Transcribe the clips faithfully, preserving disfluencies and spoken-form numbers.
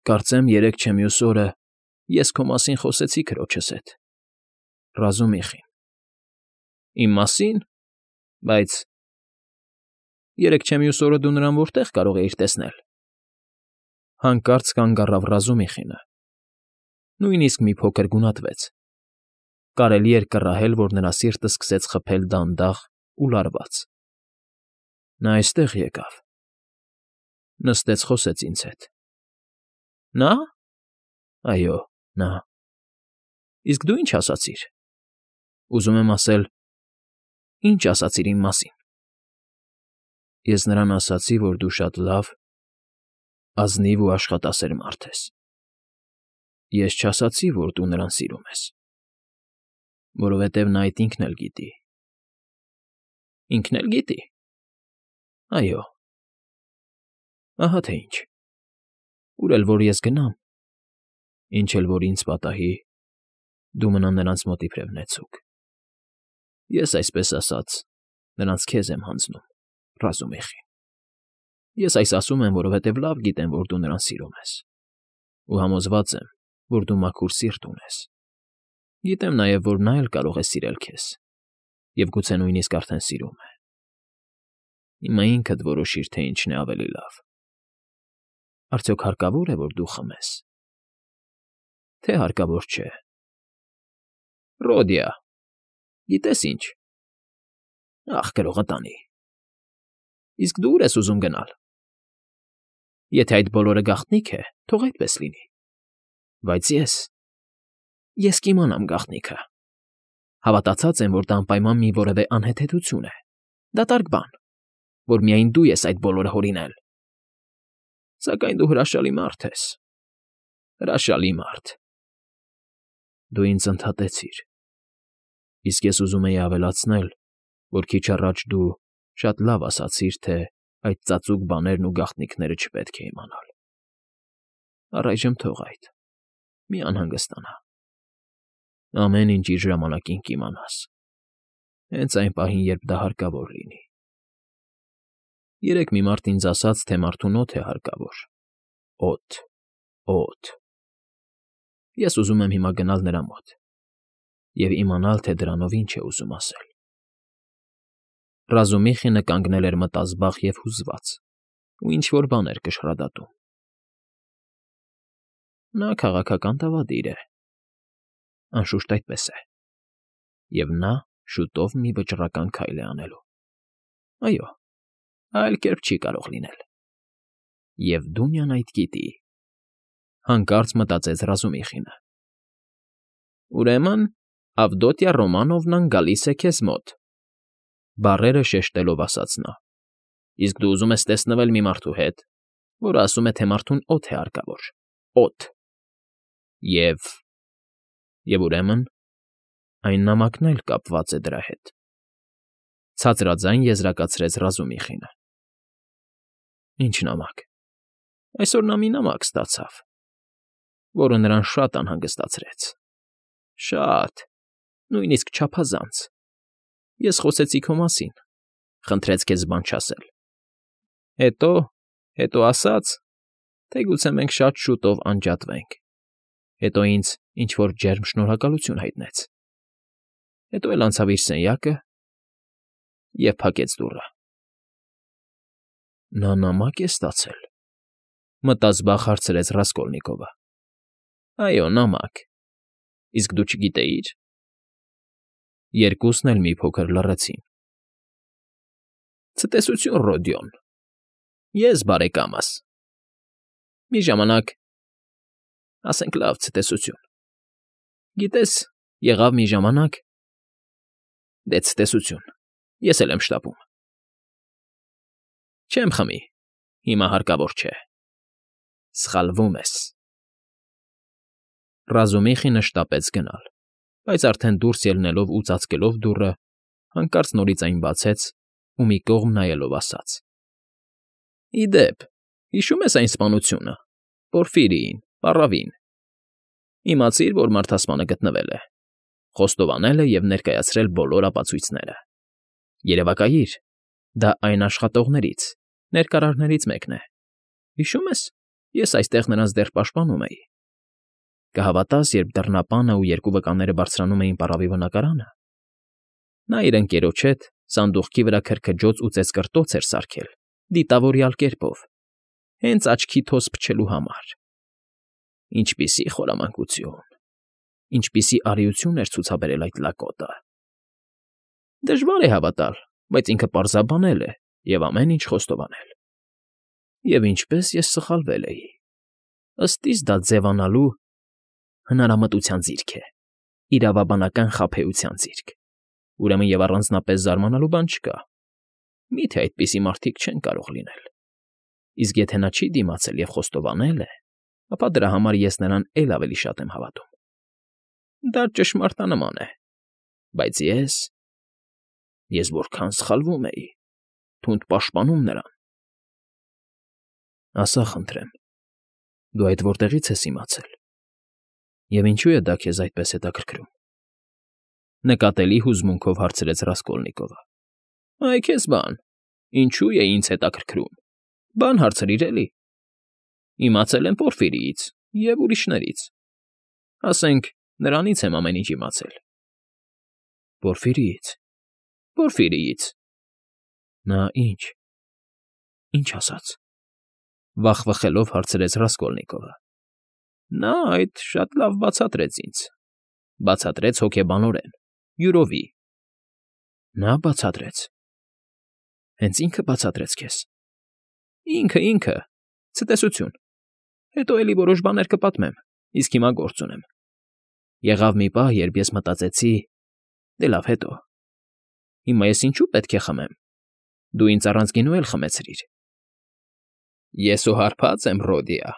Կարծեմ երեկ չէ մյուս օրը ես քո մասին խոսեցի քրոջս հետ, Ռազումիխին։ Իմ մասի՞ն, բայց… Երեկ չէ մյուս օրը դու նրան որտե՞ղ կարող էիր տեսնել։ Հանկարծ կանգ առավ Ռազումիխինը, նույնիսկ մի փոքր գունատվեց. կարելի էր կռահել, որ նրա սիրտը սկսեց խփել դանդաղ ու լարված։ Նա այստեղ եկավ, նստեց, խոսեց ինձ հետ։ Նա՞… Այո, նա… Իսկ դու ի՞նչ ասացիր։ Ուզում եմ ասել, ի՞նչ ասացիր իմ մասին։ Ես նրան ասացի, որ դու շատ լավ, ազնիվ ու աշխատասեր մարդ ես։ Ես չասացի, որ դու նրան սիրում ես, որովհետև նա այդ ինքն էլ գիտի։ Ինքն էլ գիտի։ Այո։ Ահա թե ինչ։ Ուր էլ որ ես գնամ, ինչ էլ որ ինձ պատահի, դու մնա նրանց մոտ իբրև նեցուկ։ Ես, այսպես ասած, նրանց քեզ եմ հանձնում, Ռազումիխին։ Ես այս ասում եմ, որովհետև լավ գիտեմ, որ դու նրան սիրում ես, ու համոզված եմ, որ դու մաքուր սիրտ ունես։ Գիտեմ նաև, որ նա էլ կարող է սիրել քեզ, և գուցե նույնիսկ արդեն սիրում է։ Հիմա ինքդ որոշիր, թե ինչն է ավելի լավ. արդյոք հարկավո՞ր է, որ դու խմես, թե հարկավոր չէ։ Ռոդիա, գիտես ինչ… Ախ, գրողը տանի։ Իսկ դու ուր ես ուզում գնալ։ Եթե այդ բոլորը գաղտնիք է, թող այդպես լինի։ Բայց ես… ես կիմանամ գաղտնիքը։ Հավատացած եմ, որ դա անպայման մի որևէ անհեթեթություն է, դատարկ բան, որ միայն դու ես այդ բոլորը հորինել։ Սակայն դու հրաշալի մարդ ես… հրաշալի մարդ։ Դու ինձ ընդհատեցիր։ Իսկ ես ուզում էի ավելացնել, որ քիչ առաջ դու շատ լավ ասացիր, թե այդ ծածուկ բաներն ու գաղտնիքները չպետք է իմանալ։ Առայժմ թող այդ, մի անհանգստանա։ Ամեն ինչ իր ժամանակին կիմանաս, հենց այն պահին, երբ դա հարկավոր լինի։ Երեկ մի մարդ ինձ ասաց, թե մարդուն օդ է հարկավոր, օդ, օդ։ Ես ուզում եմ հիմա գնալ նրա մոտ և իմանալ, թե դրանով ինչ է ուզում ասել։ Ռազումիխինը կանգնել էր մտազբաղ և հուզված ու ինչ֊որ բան էր կշռադատում։ Նա քաղաքական դավադիր է, անշուշտ այդպես է, և նա շուտով մի վճռական քայլ է անելու։ Այո, այլ կերպ չի կարող լինել։ Եվ Դունյան այդ գիտի, հանկարծ մտածեց Ռազումիխինը։ Ուրեմն Ավդոտյա Ռոմանովնան գալիս է քեզ մոտ, բառերը շեշտելով ասաց նա։ Իսկ դու ուզում ես տեսնվել մի մարդու հետ, որը ասում է, թե մարդուն օդ է հարկավոր, օդ… Եվ… և ուրեմն այն նամակն էլ կապված է դրա հետ… ցածրաձայն եզրակացրեց Ռազումիխինը։ Ինչ նամակ։ Այսօր նա մի նամակ ստացավ, որը նրան շատ անհանգստացրեց։ Շատ… նույնիսկ չափազանց… Ես խոսեցի քո մասին, խնդրեց քեզ բան չասել։ Հետո… հետո ասաց, թե գուցե մենք շատ շուտով անջատվենք։ Հետո ինձ ինչ֊որ ջերմ շնորհակալություն հայտնեց։ Հետո էլ անցավ իր սենյակը և փակեց դուռը։ Նա նամակ է ստացել, մտազբաղ հարցրեց Ռասկոլնիկովը։ Այո, նամակ… Իսկ դու չգիտեի՞ր։ Երկուսն էլ մի փոքր լռեցին։ Ցտեսություն, Ռոդիոն… Ես բարեկամս… Մի ժամանակ… ասենք լավ, ցտեսություն… Գիտես, եղավ մի ժամանակ… Դե, ցտեսություն… ես էլ եմ շտապում… Չեմ խմի… հիմա հարկավոր չէ… Սխալվում ես… Ռազումիխինը շտապեց գնալ, բայց արդեն դուրս ելնելով ու ծածկելով դուռը, հանկարծ նորից այն բացեց ու մի կողմ նայելով ասաց. Ի դեպ, հիշո՞ւմ ես այն սպանությունը… Պորֆիրիին, պառավին… Իմացիր, որ մարդասպանը գտնվել է, խոստովանել է և ներկայացրել բոլոր ապացույցները… Երևակայիր, դա այն աշխատողներից, ներկարարներից մեկն է… Հիշո՞ւմ ես։ Ես այստեղ նրանց դեռ պաշտպանում էի։ Կհավատաս, երբ դռնապանը ու երկու վկաները բարձրանում էին պառավի բնակարանը, նա իր ընկերոջ հետ սանդուղքի վրա քրքջոց ու ծեծկռտոց էր սարքել դիտավորյալ կերպով, հենց աչքի թոս փչելու համար։ Ինչպիսի խորամանկություն, ինչպիսի արիություն էր ցուցաբերել այդ լակոտը։ Դժվար է հավատալ, բայց ինքը պարզաբանել է և ամեն ինչ խոստովանել։ Եվ ինչպես ես սխալվել էի։ Ըստ իս դա ձևանալու հնարամտության ձիրք է, իրավաբանական խաբեության ձիրք, ուրեմն և առանձնապես զարմանալու բան չկա։ Մի՞թե այդպիսի մարդիկ չեն կարող լինել։ Իսկ եթե նա չի դիմացել և խոստովանել է, ապա դրա համար ես նրան էլ ավելի շատ եմ հավատում։ Դա ճշմարտանման է, բայց ես… ես որքան սխալվում էի, թունդ պաշտպանում նրան։ Ասա, խնդրեմ, դու այդ որտեղի՞ց ես իմացել, և ինչո՞ւ է դա քեզ այդպես հետաքրքրում,֊ նկատելի հուզմունքով հարցրեց Ռասկոլնիկովը։ Այ քեզ բան, ինչո՞ւ է ինձ հետաքրքրում, բան հարցրիր էլի։ Իմացել եմ Պորֆիրիից և ուրիշներից, ասենք, նրանից եմ ամեն ինչ իմացել։ Պորֆիրիից, Պորֆիրիից… Նա ի՞նչ, ի՞նչ ասաց,֊ վախվխելով հարցրեց Ռասկոլնիկովը։ Նա այդ շատ լավ բացատրեց ինձ, բացատրեց հոգեբանորեն, յուրովի։ Նա բացատրեց… Հենց ինքը բացատրեց քեզ։ Ինքը, ինքը… Ցտեսություն… Հետո էլի որոշ բաներ կպատմեմ, իսկ հիմա գործ ունեմ։ Եղավ մի պահ, երբ ես մտածեցի… Դե լավ, հետո… Հիմա ես ինչո՞ւ պետք է խմեմ, դու ինձ առանց գինու էլ խմեցրիր։ Ես ու հարբած եմ, Ռոդիա…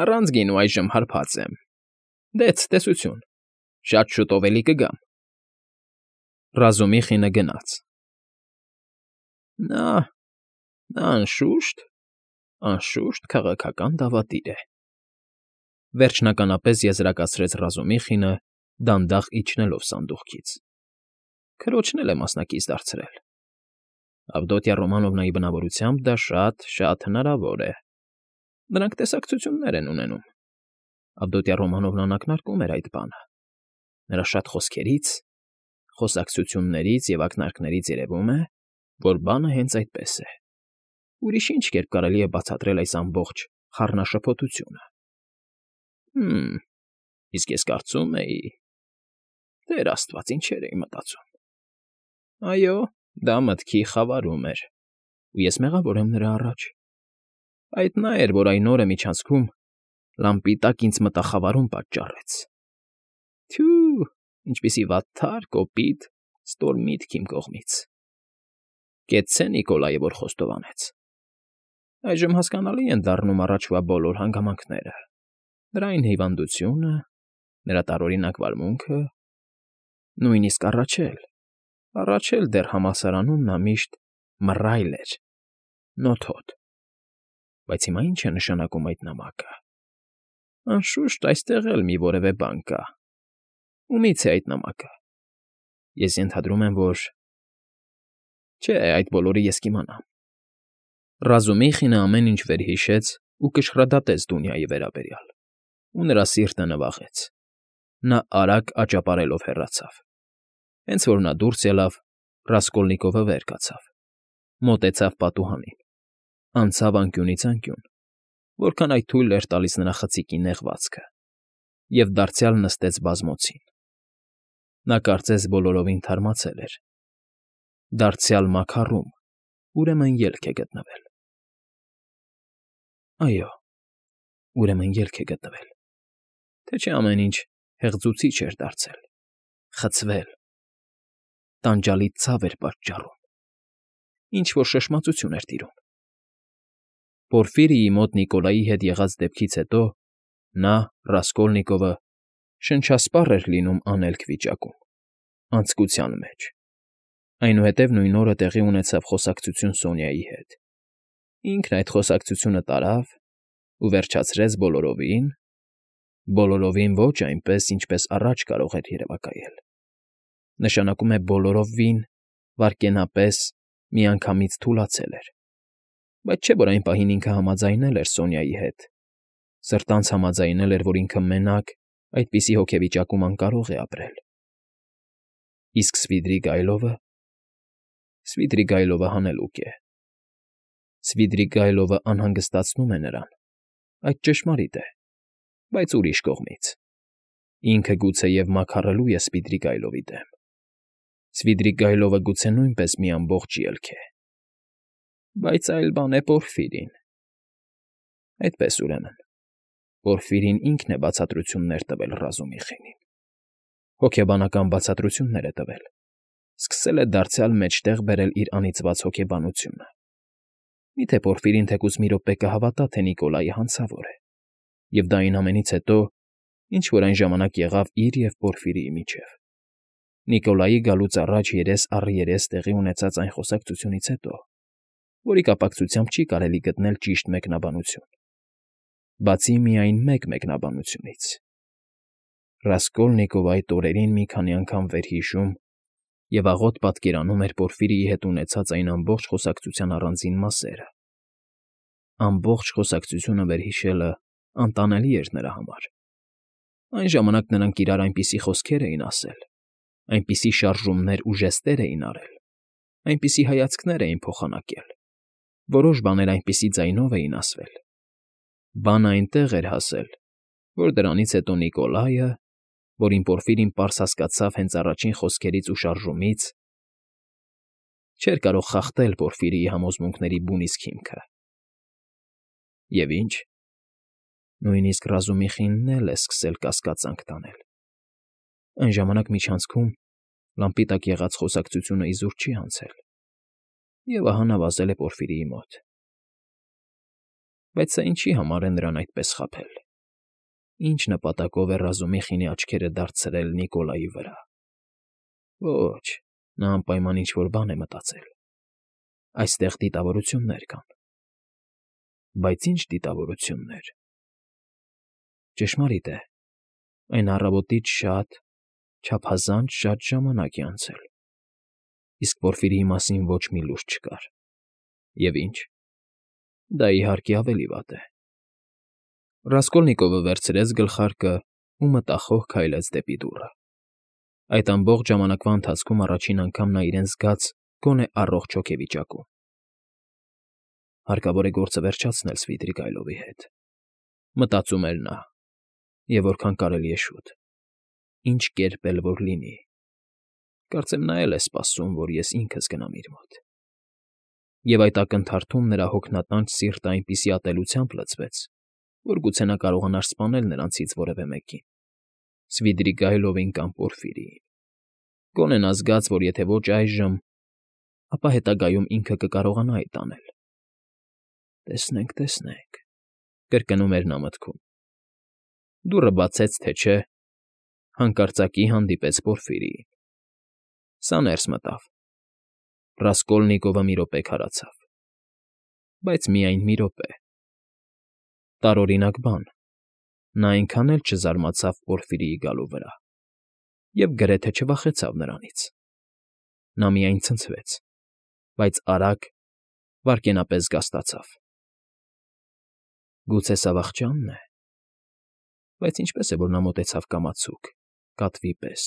Առանց գինու այժմ հարբած եմ… Դե ցտեսություն… Շատ շուտով էլի կգամ… Ռազումիխինը գնաց։ Նա… նա, անշուշտ, անշուշտ քաղաքական դավադիր է…֊ վերջնականապես եզրակացրեց Ռազումիխինը, դանդաղ իջնելով սանդուղքից։ Քրոջն էլ է մասնակից դարձրել։ Ավդոտյա Ռոմանովնայի բնավորությամբ դա շատ, շատ հնարավոր է։ Նրանք տեսակցություններ են ունենում։ Ավդոտյա Ռոմանովնան ակնարկում էր այդ բանը։ Նրա շատ խոսքերից, խոսակցություններից և ակնարկներից երևում է, որ բանը հենց այդպես է։ Ուրիշ ի՞նչ կերպ կարելի է բացատրել այս ամբողջ խառնաշփոթությունը։ Հը՜մ, իսկ ես կարծում էի… Տեր աստված, ինչեր էի մտածում… Այո, դա մտքի խավարում էր, ու ես մեղավոր եմ նրա առաջ… Այդ նա էր, որ այն օրը միջանցքում լամպի տակ ինձ մտախավարում պատճառեց… Թյո՜ւ, ինչպիսի վատթար, կոպիտ, ստոր միտք իմ կողմից… Կեցցե Նիկոլայը, որ խոստովանեց… Այժմ հասկանալի են դառնում առաջվա բոլոր հանգամանքները… Նրա այն հիվանդությունը, նրա տարօրինակ վարմունքը… Նույնիսկ առաջ էլ, առաջ էլ դեռ համալսարանում նա միշտ մռայլ էր, նոթոտ… Բայց հիմա ի՞նչ է նշանակում այդ նամակը… Անշուշտ, այստեղ էլ մի որևէ բան կա… Ումի՞ց է այդ նամակը… Ես ենթադրում եմ, որ… Չէ, այդ բոլորը ես կիմանամ… Ռազումիխինը ամեն ինչ վերհիշեց ու կշռադատեց Դունյայի վերաբերյալ, ու նրա սիրտը նվաղեց… Նա արագ աճապարելով հեռացավ… Հենց որ նա դուրս ելավ, Ռասկոլնիկովը վեր կացավ, մոտեցավ պատուհանին, անցավ անկյունից անկյուն, որքան այդ թույլ էր տալիս նրա խցիկի նեղվածքը, և դարձյալ նստեց բազմոցին… Նա կարծես բոլորովին թարմացել էր… Դարձյալ մաքարում, ուրեմն ելք է գտնվել… Այո, ուրեմն ելք է գտնվել… Թե չէ ամեն ինչ հեղձուցիչ էր դարձել, խցվել… Տանջալից ցավ էր պատճառում… Ինչ֊որ շշմածություն էր տիրում… Պորֆիրիի մոտ Նիկոլայի հետ եղած դեպքից հետո նա, Ռասկոլնիկովը, շնչասպառ էր լինում անելք վիճակում, անձկության մեջ… Այնուհետև նույն օրը տեղի ունեցավ խոսակցություն Սոնյայի հետ… Ինքն այդ խոսակցությունը տարավ ու վերջացրեց բոլորովին… Բոլորովին ոչ այնպես, ինչպես առաջ կարող էր երևակայել… Նշանակում է բոլորովին, վայրկենապես, միանգամից թուլացել էր… Բայց չէ՞ որ այն պահին ինքը համաձայնել էր Սոնյայի հետ, սրտանց համաձայնել էր, որ ինքը մենակ այդպիսի հոգեվիճակում անկարող է ապրել։ Իսկ Սվիդրիգայլովը… Սվիդրիգայլովը հանելուկ է։ Սվիդրիգայլովը անհանգստացնում է նրան, այդ ճշմարիտ է, բայց ուրիշ կողմից. ինքը գուցեև մաքարելու է Սվիդրիգայլովի դեմ։ Սվիդրիգայլովը գուցե նույնպես մի ամբողջ ելք է։ Բայց այլ բան է Պորֆիրին։ Այդպես, ուրեմն, Պորֆիրին ինքն է բացատրություններ տվել Ռազումիխինին։ Հոգեբանական բացատրություններ է տվել, սկսել է դարձյալ մեջտեղ բերել իր անիծված հոգեբանությունը։ Միթե Պորֆիրին թեկուզ մի րոպե կհավատա, թե Նիկոլայի հանցավոր է, և դա այն ամենից հետո, ինչ որ այն ժամանակ եղավ իր և Պորֆիրիի միջև, Նիկոլայի գալուց առաջ երես առ երես տեղի ունեցած այն խոսակցությունից հետո, որի կապակցությամբ չի կարելի գտնել ճիշտ մեկնաբանություն, բացի միայն մեկ մեկնաբանությունից. Ռասկոլնիկովը այդ օրերին մի քանի անգամ վերհիշում և աղոտ պատկերանում էր Պորֆիրիի հետ ունեցած այն ամբողջ խոսակցության առանձին մասերը։ Ամբողջ խոսակցությունը վերհիշելը անտանելի էր նրա համար։ Այն ժամանակ նրանք իրար այնպիսի խոսքեր էին ասել, այնպիսի շարժումներ ու ժեստեր էին արել, այնպիսի հայացքներ էին փոխանակել, որոշ բաներ այնպիսի ձայնով էին ասվել, բանը այնտեղ էր հասել, որ դրանից հետո Նիկոլայը, որին Պորֆիրին պարզ հասկացավ հենց առաջին խոսքերից ու շարժումից, չէր կարող խախտել Պորֆիրիի համոզմունքների բուն իսկ հիմքը։ Եվ ինչ, նույնիսկ Ռազումիխինն էլ է սկսել կասկածանք տանել։ Այն ժամանակ միջանցքում լամպի տակ եղած խոսակցությունը իզուր չի անցել, և ահա նա վազել է Պորֆիրիի մոտ։ Բայց սա ինչի համար է նրան այդպես խաբել։ Ինչ նպատակով է Ռազումիխինի աչքերը դարձրել Նիկոլայի վրա։ Ոչ, նա անպայման ինչ֊որ բան է մտածել։ Այստեղ դիտավորություններ կան։ Բայց ինչ դիտավորություններ։ Ճշմարիտ է, այն առավոտից շատ, չափազանց շատ ժամանակ է անցել, իսկ Պորֆիրիի մասին ոչ մի լուր չկար։ Եվ ինչ։ Դա, իհարկե, ավելի վատ է։ Ռասկոլնիկովը վերցրեց գլխարկը ու մտախոհ քայլեց դեպի դուռը։ Այդ ամբողջ ժամանակվա ընթացքում առաջին անգամ նա իրեն զգաց գոնե առողջ հոգեվիճակում։ Հարկավոր է գործը վերջացնել Սվիդրիգայլովի հետ, մտածում էր նա, և որքան կարելի է շուտ, ինչ կերպ էլ որ լինի։ Կարծեմ նա էլ է սպասում, որ ես ինքս գնամ իր մոտ։ Եվ այդ ակնթարթում նրա հոգնատանջ սիրտը այնպիսի ատելությամբ լցվեց, որ գուցե նա կարողանար սպանել նրանցից որևէ մեկին՝ Սվիդրիգայլովին կամ Պորֆիրիին։ Գոնե նա զգաց, որ եթե ոչ այժմ, ապա հետագայում ինքը կկարողանա այդ անել։ «Տեսնենք, տեսնենք», կրկնում էր նա մտքում։ Դուռը բացեց թե չէ, հանկարծակի հանդիպեց Պորֆիրիին։ Սա ներս մտավ։ Ռասկոլնիկովը մի րոպե քարացավ։ Բայց միայն մի րոպե։ Տարօրինակ բան, նա այնքան էլ չզարմացավ Պորֆիրիի գալու վրա և գրեթե չվախեցավ նրանից։ Նա միայն ցնցվեց, բայց արագ, վայրկենապես զգաստացավ։ Գուցե սա վախճա՞նն է։ Բայց ինչպես է, որ նա մոտեցավ կամացուկ, կատվի պես,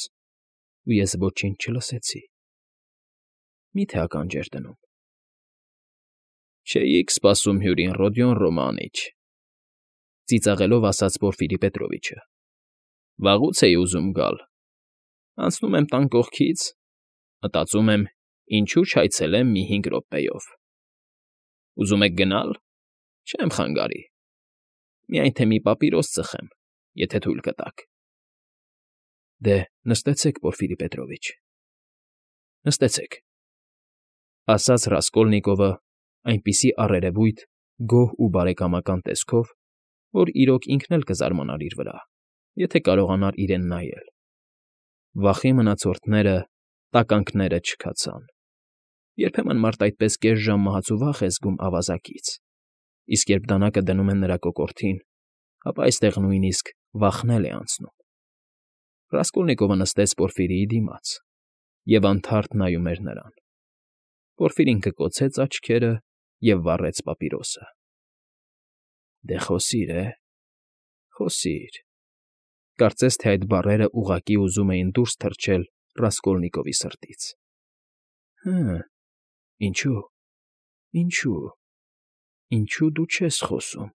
ու ես ոչինչ չլսեցի։ Մի՞թե ականջ էր դնում։ «Չէիք սպասում հյուրին, Ռոդիոն Ռոմանիչ», ծիծաղելով ասաց Պորֆիրի Պետրովիչը։ «Վաղուց էի ուզում գալ։ Անցնում եմ տան կողքից, մտածում եմ՝ ինչու չայցելեմ մի հինգ րոպեով։ Ուզում եք գնալ։ Չեմ խանգարի։ Միայն թե մի պապիրոս ծխեմ, եթե թույլ կտաք»։ Դե, նստեցեք, Պորֆիրի Պետրովիչ, նստեցեք, ֊ ասաց Ռասկոլնիկովը այնպիսի առերևույթ, գոհ ու բարեկամական տեսքով, որ իրոք ինքն էլ կզարմանար իր վրա, եթե կարողանար իրեն նայել։ Վախի մնացորդները, տականքները չքացան։ Երբեմն մարդ այդպես կես ժամ մահացուվախ է զգում ավազակից, իսկ երբ դանակը դնում են նրա կոկորդին, ապա այստեղ նույնիսկ վախն էլ է անցնում։ Ռասկոլնիկովը նստեց Պորֆիրիի դիմաց և անթարթ նայում էր նրան։ Պորֆիրին կկոցեց աչքերը և վառեց պապիրոսը։ ֊ Դե խոսիր, է, խոսիր… Կարծես թե այդ բառերն ուղղակի ուզում էին դուրս թռչել Ռասկոլնիկովի սրտից։ ֊ Հը՜, ինչո՞ւ, ինչո՞ւ, ինչո՞ւ դու չես խոսում։